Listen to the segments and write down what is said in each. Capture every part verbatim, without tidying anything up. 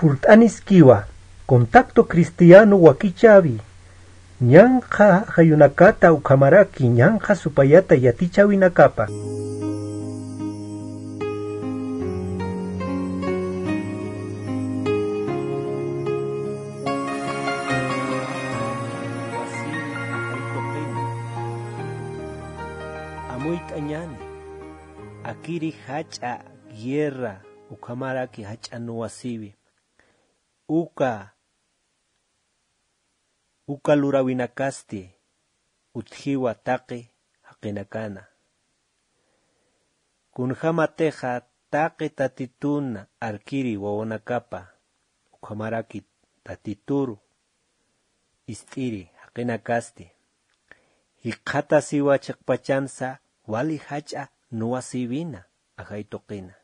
Purt'aniskiwa, Contacto Cristiano wakichäwi, ñanqha ajayunakata ukhamaraki ñanqha supayata yatichäwinakapa. Amuyt'añäni, akiri jach'a guerra ukhamaraki jach'a nuwasiwi, uka uka luräwinakasti utjiwa taqi jaqinakana. Kunjämatixa taqi Tatitun arkiri wawanakapa, ukhamaraki Tatituru ist'iri jaqinakasti jikxatasiwa chiqpachansa wali jach'a nuwasïwina ajay tuqina.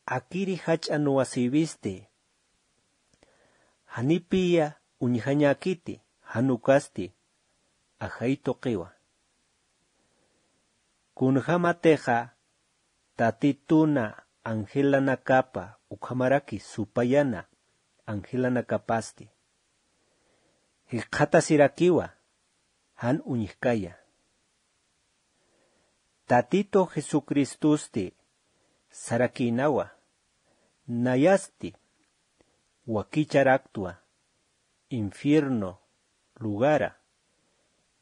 Akiri jach'a nuwasïwisti janipiya uñjañäkiti, jan ukasti ajay tuqiwa. Kunjämatixa Tatituna angelanakapa ukhamaraki supayana angelanakapasti jikxatasirakiwa jan uñjkaya. Tatitu Jesucristusti sarakïnawa, nayasti wakicharaktwa infierno lugara,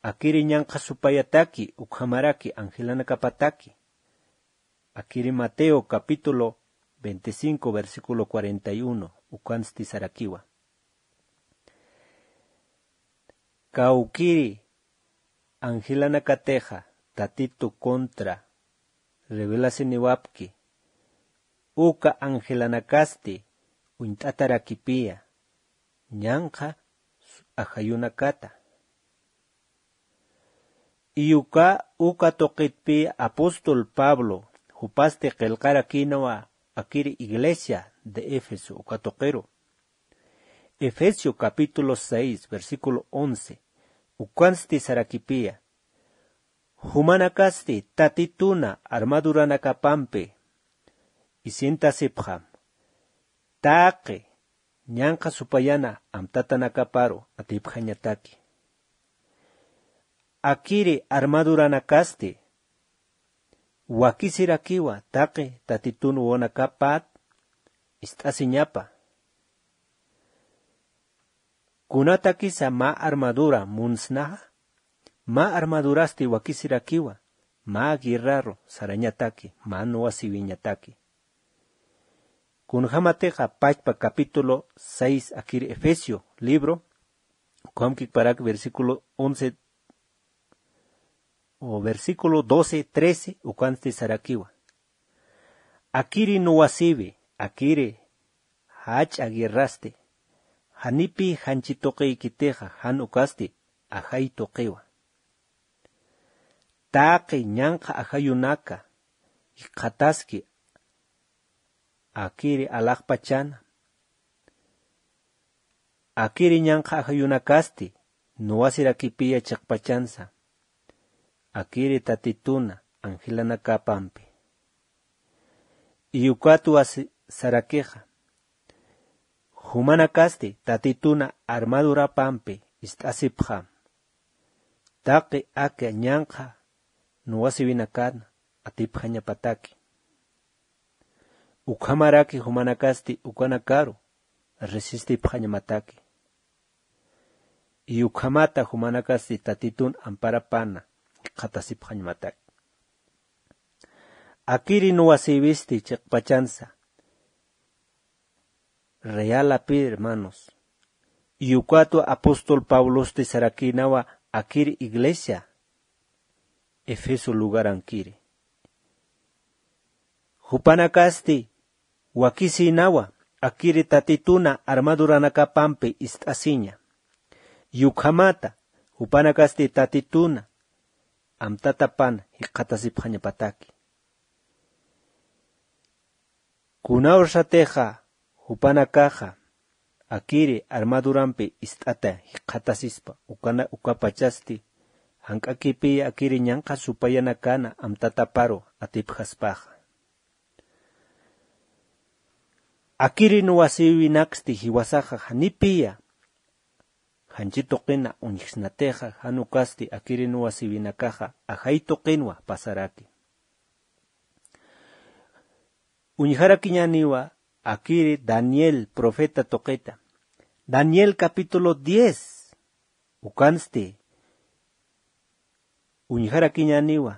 akiri ñanqha supayataki ukhamaraki angelanakapataki. Akiri Mateo capítulo veinticinco, versículo cuarenta y uno, ukansti sarakiwa. Kawkiri angelanakatixa Tatitu contra rebelasiniwapki, uka angelanakasti uñt'atarakipiya ñanqha ajayunakata. Iyuka uka tuqitpi apóstol Pablo jupasti qillqarakïnawa akiri iglesia de Éfeso uka tuqiru. Efesio capítulo seis, versículo once, ukansti sarakipiya, jumanakasti Tatituna armaduranakapampi isintasipxam, taqi ñanqha supayana amtatanakaparu atipxañataki. Akiri armaduranakasti wakisirakiwa taqi Tatitun wawanakapat ist'asiñapa. Kunatakisa mä armadura munsnaxa, mä armadurasti wakisirakiwa, mä guerraru sarañataki, mä nuwasïwiñataki. Kunjämatixa pachpa capítulo seis akiri Efesio libro, ukham kikparak versículo once o versículo doce, trece, ukansti sarakiwa. Akiri nuwasïwi, akiri jach'a guerrasti, janipï janchi tuqiykitixa jan ukasti ajay tuqiwa. Taqi ñanqha ajayunaka jikxataski akiri alaxpachana, akiri ñanqha ajayunakasti nuwasirakipiya chiqpachansa, akiri Tatituna angelanakapampi. Iyukatwa si-, sarakixa, jumanakasti Tatituna armadurapampi ist'asipxam, taqi aka ñanqha nuwasïwinakan atipxañapataki. Ukhamaraki jumanakasti ukanakaru resistipxañamataki. Y ukhamata jumanakasti Tatitun amparapana jikxatasipxañamataki. Akiri nuwasïwisti chiqpachansa, realapï, hermanos. Y ukatwa apóstol Pablosti sarakïnawa akiri iglesia Efeso lugarankiri. Jupanakasti wakisïnawa akiri Tatituna armaduranakapampi ist'asiña. Y ukhamata jupanakasti Tatituna amtatapana jikxatasipxañapataki. Kunawsatixa jupanakaxa akiri armadurampi ist'ata jikxatasispa, ukana-, ukapachasti jank'akipiya akiri ñanqha supayanakana amtataparu atipxaspaxa. Akiri nuwasïwinaksti jiwasaxa janipiya janchi tuqina uñjsnatixa, jan ukasti akiri nuwasïwinakaxa ajay tuqinwa pasaraki. Uñjarakiñäniwa akiri Daniel profeta tuqita. Daniel capítulo diez. Ukansti uñjarakiñäniwa.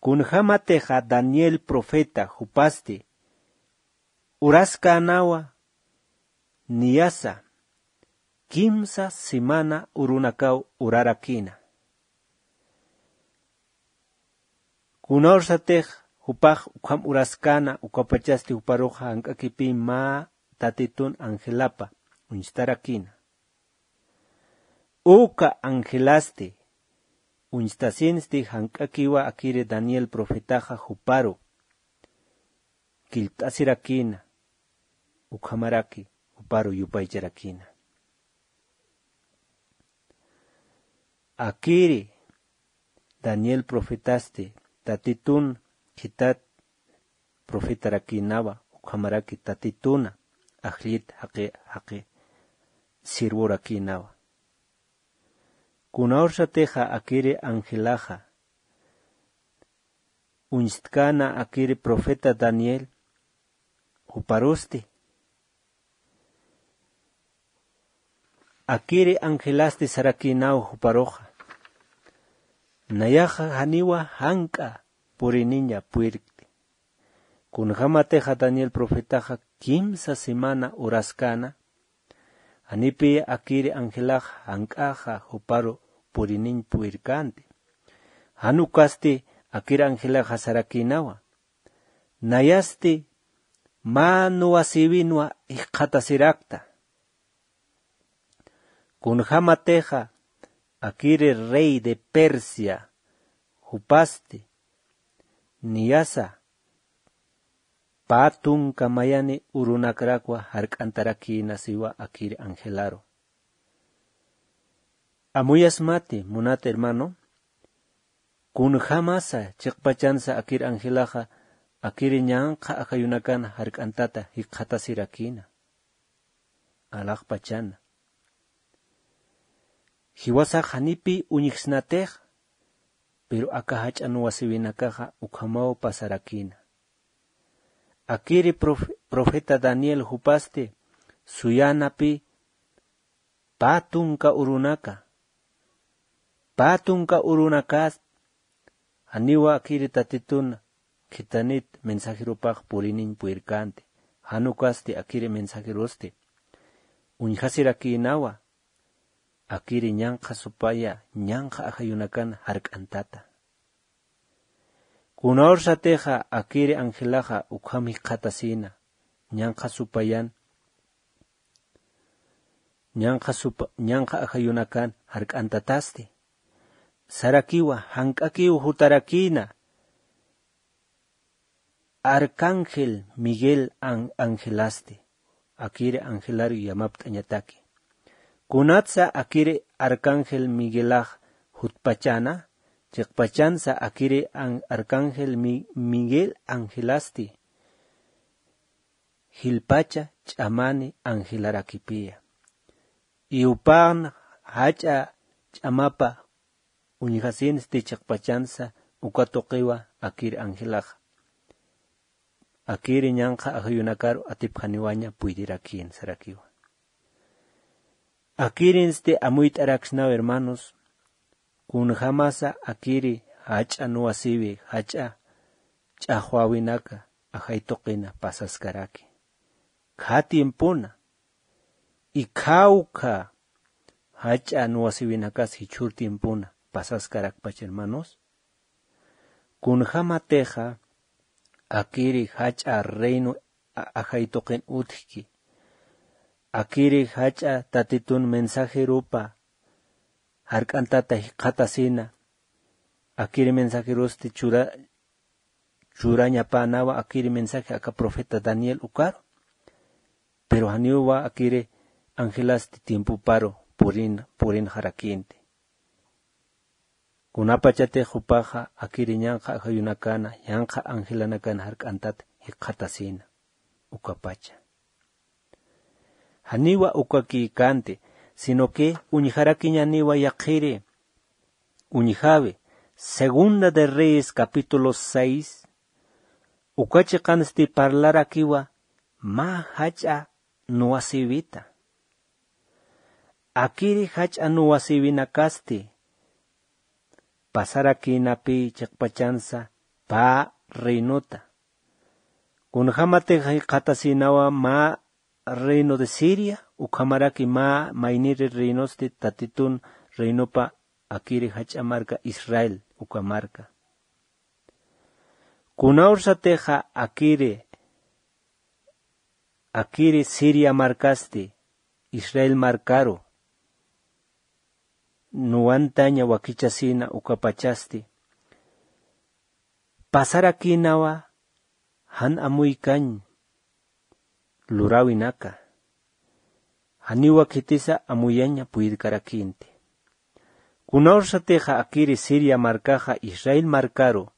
Kunjämatixa Daniel profeta jupasti uraskänawa niyasa kimsa semana urunakaw urarakïna. Kunawsatix jupax ukham uraskäna, ukapachasti juparuxa jank'akipï mä Tatitun angelapa uñstarakïna. Uka angelasti uñstasinsti jank'akiwa akiri Daniel profetaxa juparu killt'asirakïna, ukhamaraki juparu yupaycharakïna. Akiri Daniel profetasti Tatitun khitat profetarakïnawa, ukhamaraki Tatituna ajllit jaqi jaqi sirvurakïnawa. Kunawsatixa akiri angelaxa uñstkäna akiri profeta Daniel juparusti. Akiri angelasti sarakïnaw juparuxa. Nayaxa janiwa jank'a puriniña purirkti. Kunjämatixa Daniel profetaxa kimsa semana uraskäna, janipiya akiri angelax jank'axa juparu puriniñ purirkänti. Jan ukasti akiri angelaxa sarakïnawa. Nayasti mä nuwasïwinwa jikxatasirakta. Kunjämatixa akiri rey de Persia jupasti niyasa pä tunka mayani urunakrakwa jark'antarakïna siwa akiri angelaru. Amuyasmati, munat hermano, kunjämasa chiqpachansa akir angelaxa akiri ñanqha ajayunakan jark'antata jikxatasirakïna. Alaxpachana. Jiwasax janipï uñjsnatix, pero aka jach'a nuwasïwinakaxa ukhamaw pasarakïna. Akiri prof- profeta Daniel jupasti suyänapï pä tunka urunaka. Pä tunka urunakas janiwa akiri Tatitun khitanit mensajerupax puriniñ purirkänti. Jan ukasti akiri mensajerusti uñjasirakïnawa akiri ñanqha supaya ñanqha ajayunakan jark'antata. Kunawsatixa akiri angelaxa ukham jikxatasïna ñanqha supayan ñanqha supa ñanqha ajayunakan jark'antatasti. Sarakiwa jank'akiw jutarakïna arcángel Miguel an- angelasti. Akiri angelar yamapt'añataki. Kunatsa akiri arcángel Miguelax jutpachana, chiqpachansa akiri an- arcángel Mi- Miguel angelasti jilpacha ch'amani angelarakipiya. Iwpan jach'a ch'amapa uñjasinsti chiqpachansa uka tuqiwa akir angelaxa. Akiri ñanqha ajayunakaru atipjaniwaña puydirakïn sarakiwa. Akirinsti amuyt'araksnaw hermanos, kunjämasa akiri jach'a nuwasïwi, jach'a ch'axwäwinaka ajay tuqina pasaskaraki. Khä tiempona, ikhawkha jach'a nuwasïwinakas jichhür tiempona pasaskarakpach hermanos. Kunjämatixa akiri jach'a reino a- ajay tuqin utjki. Akiri jach'a Tatitun mensajerupa jark'antata jikxatasina. Akiri mensajerusti chura churañapänawa akiri mensaje aka profeta Daniel ukaru. Pero janiwa akiri angelasti tiempoparu purin purinxarakïnti. Kunapachatix jupaxa akiri ñanqha ajayunakana, ñanqha angelanakana jark'antat jikxatasïna. Ukapacha. Janiwa ukakïkänti, sino que uñjarakiñaniwa yaqhiri. Uñjawi, Segunda de Reyes capítulo seis, uka chiqansti parlarakiwa mä jach'a nuwasïwita. Akiri jach'a nuwasïwinakasti pasarakïnapï chiqpachansa pä reinota. Kunjämatix jikxatasïnawa mä reino de Siria, ukhamaraki mä mayniri reinosti Tatitun reinopa akiri jach'a marka Israel uka marka. Kunawrsatixa akiri, akiri Siria markasti Israel markaru nuwantaña wakichasïna ukapachasti, pasarakïnawa jan amuykañ luräwinaka. Janiwa khitisa amuyaña puyirkarakïnti. Kunawrsatixa akiri Siria markaxa Israel markaru,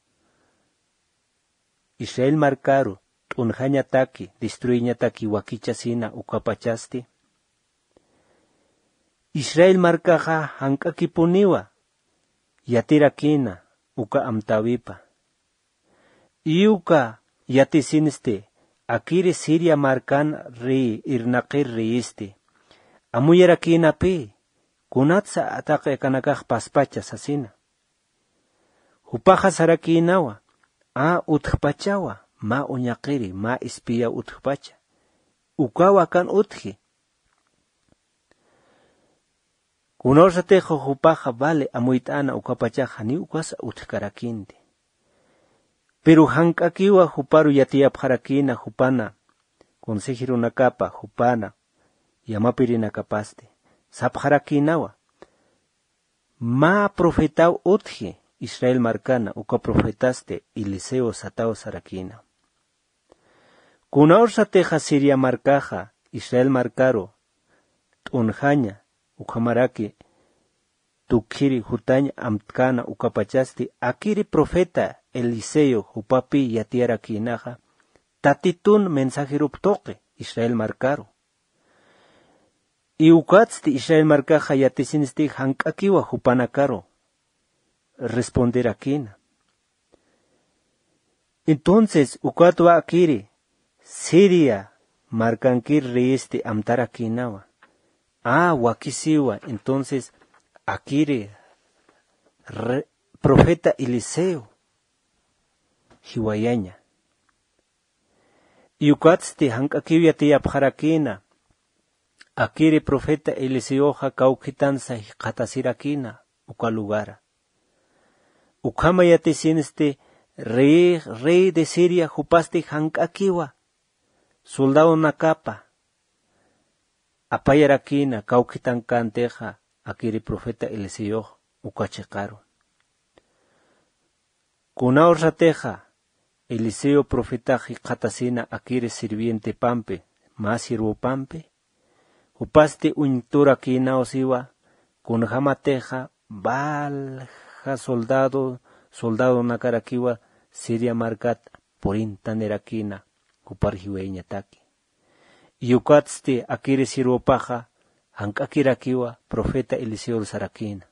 Israel markaru t'unjañataki, destruiñataki wakichasïna ukapachasti, Israel markaxa jank'akipuniwa yatirakïna uka amtäwipa. Iy uka yatisinsti akiri Siria markan rey, irnaqir reyisti, amuyarakïnapï, kunatsa taqi akanakax paspacha sasina. Jupaxa sarakïnawa, a utjpachawa, mä uñaqiri, mä espía utjpacha. Ukawa akan utji. Kunawrsatixa jupaxa vale amuyt'äna ukapachaxa ni ukasa utjkarakïnti. Pero jank'akiwa juparu yatiyapxarakïna jupana, consejerunakapa jupana, yamapirinakapasti, sapxarakïnawa. Mä profetaw utji Israel markana, uka profetasti Eliseo sataw sarakïna. Kunawrsatixa Siria markaxa Israel markaru t'unjaña, ukhamaraki tukhiri jutañ amtkäna ukapachasti, akiri profeta Eliseo jupapi yatiyarakïnaxa, Tatitun mensajerup tuqi Israel markaru. Y ukatsti Israel markaxa yatisinsti jank'akiwa jupanakaru responderakïna. Entonces, ukatwa akiri Siria markankir reyisti amtarakïnawa. A, wakisiwa, entonces, akiri re-, profeta Eliseo jiwayaña. Y ukatsti jank'akiw yatiyapxarakïna, akiri profeta Eliseoxa kawkhitansa jikxatasirakïna uka lugara. Ukhama yatisinsti rey, rey de Siria jupasti jank'akiwa soldadonakapa apayarakïna kawkhitankantixa akiri profeta Eliseox uka chiqaru. Kunawrsatixa Eliseo profetax jikxatasina akiri sirvientepampi, mä siervopampi, jupasti uñturakïnaw siwa, kunjämatixa valja soldado, soldadonakarakiwa Siria markat purintanirakiña, jupar jiwayañataki. Y ukatsti akiri siervopaxa jank'akirakiwa profeta Eliseor sarakïna.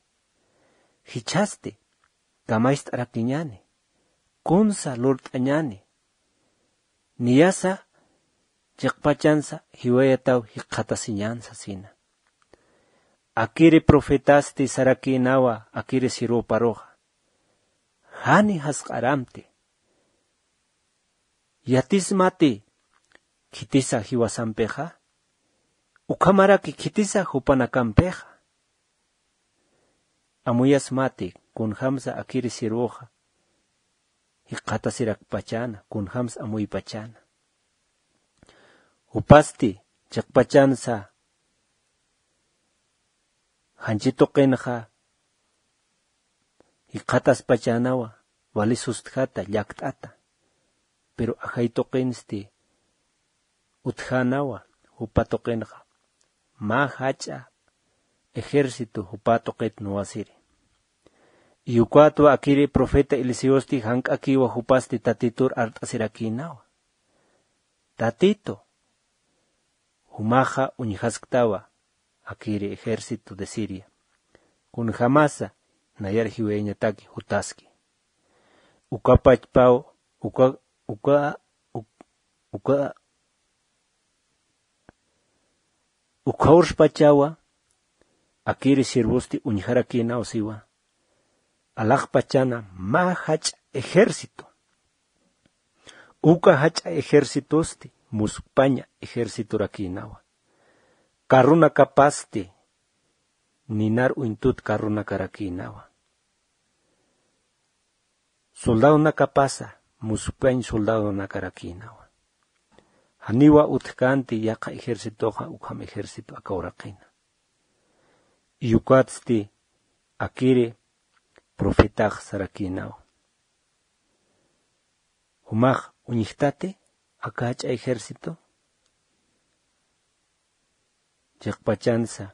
Jichhasti kamacht'arakiñäni, kunsa lurt'añäni, niyasa chiqpachansa jiwayataw jikxatasiñän sasina. Akiri profetasti sarakïnawa akiri siervoparuxa: Jani jasq'aramti. Yatismati khitisa jiwasampixa, ukhamaraki khitisa jupanakampixa. Amuyasmati kunjamsa akiri siervoxa jikxatasirakpachäna, kunjamsa amuypachäna. Jupasti chiqpachansa janchi tuqinxa jikxataspachänawa, vali sustjata, llakt'ata. Pero ajay tuqinsti utjänawa, jupa tuqinxa mä jach'a ejército jupa tuqit nuwasiri. Y ukatwa akiri profeta Eliseosti jank'akiwa jupasti Tatitur art'asirakïnawa: Tatito, Jumaxa uñjasktawa akiri ejército de Siria. Kunjamasa nayar jiwayañataki jutaski. Ukapachpaw, uka, uka, uk- uka, ukawrspachawa akiri sirvusti uñjarakïnaw siwa. Alaxpachana mä jach'a ejército. Uka jach'a ejércitosti muskpaña ejércitorakïnawa. Carronakapasti ninar uñtut carronakarakïnawa. Soldadonakapasa muskpañ soldadonakarakïnawa. Janiwa utjkänti yaqha ejércitoxa ukham ejército aka uraqina. Ukatsti akiri profetax sarakïnawa. Jumax uñjtati aka jach'a ejército chiqpachansa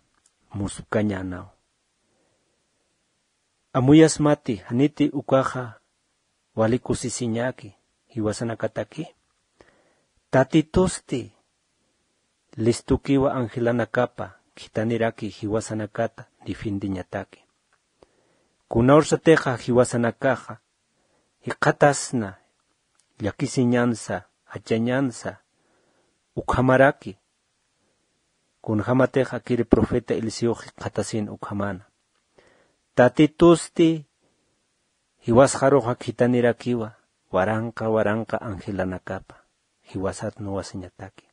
muspkañänaw. Amuyasmati janiti ukaxa wali kusisiñäki jiwasanakataki. Tatitusti listukiwa angelanakapa khithaniraki jiwasanakata defiendeñataki. Kunawrsatixa jiwasanakaxa jikxatasna llakisiñansa, jachañansa ukhamaraki. Kunjamatix akiri profeta Eliseox jikxatasin ukhamana. Tatitusti jiwasxaruxa khithanirakiwa waranqa waranqa angelanakapa jiwasat nuwasiñataki.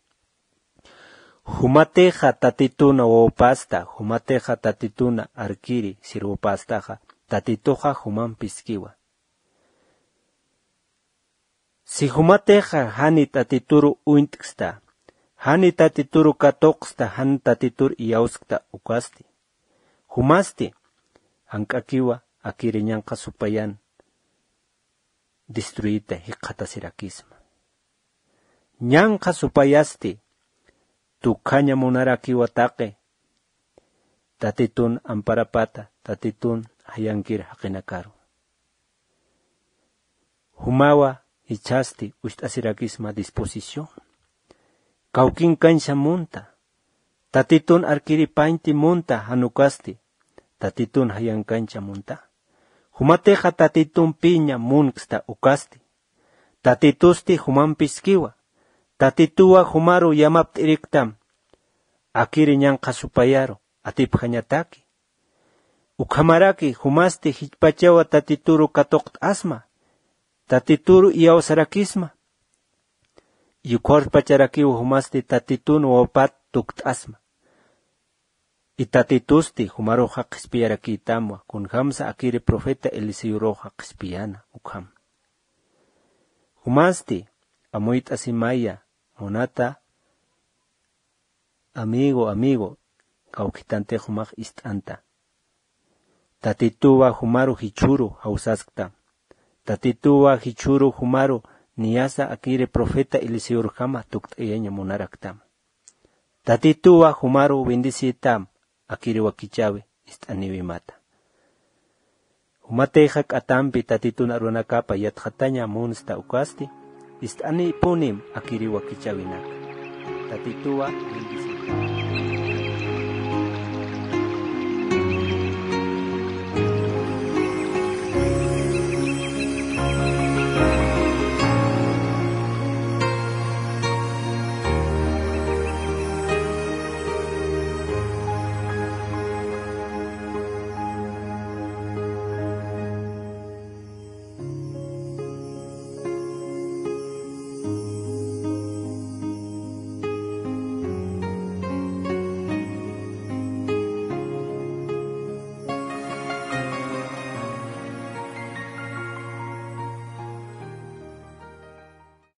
Jumatixa Tatituna wawpasta, jumatixa Tatituna arkiri sirvupastaxa, Tatituxa jumampiskiwa. Si jumatixa jani Tatituru uñt'ksta, jani Tatituru katuqsta, jan Tatitur iyawskta ukasti, jumasti jank'akiwa akiri ñanqha supayan destruita jikxatasirakisma. Ñanqha supayasti tukjaña munarakiwa taqi Tatitun amparapata, Tatitun jayankir jaqinakaru. Jumawa jichhasti ucht'asirakisma disposición. Kawkinkañsa munta. Tatitun arkiripañti munta jan ukasti. Tatitun jayankañsa munta. Jumatixa Tatitumpiña munksta ukasti. Tatitusti jumampiskiwa. Tatituwa jumaru yamapt'iriktam. Akiri ñanqha supayaru atipjañataki. Ukhamaraki jumasti jichhpachawa Tatituru katuqt'asma, Tatituru iyawsarakisma. Yukharpacharakiw jumasti Tatitun wawpat tukt'asma. Y Tatitusti jumaruxa qhispiyarakïtamwa, kunjamsa akiri profeta Eliseoruxa qhispiyäna ukham. Jumasti amuyt'asimaya munata amigo, amigo, kawkhitantix jumax ist'anta. Tatituwa jumaru jichhüru jawsaskta. Tatituwa jichhüru jumaru niyasa akiri profeta Eliseorjama tukt'ayaña munaraktam. Tatituwa jumaru bendecïtam akiri wakichäwi ist'aniwimata. Jumatixa k'atampi Tatitun arunakapa yatxataña munsta ukasti, ist'anïpunim akiri wakichäwinaka. Tatituwa bendecita.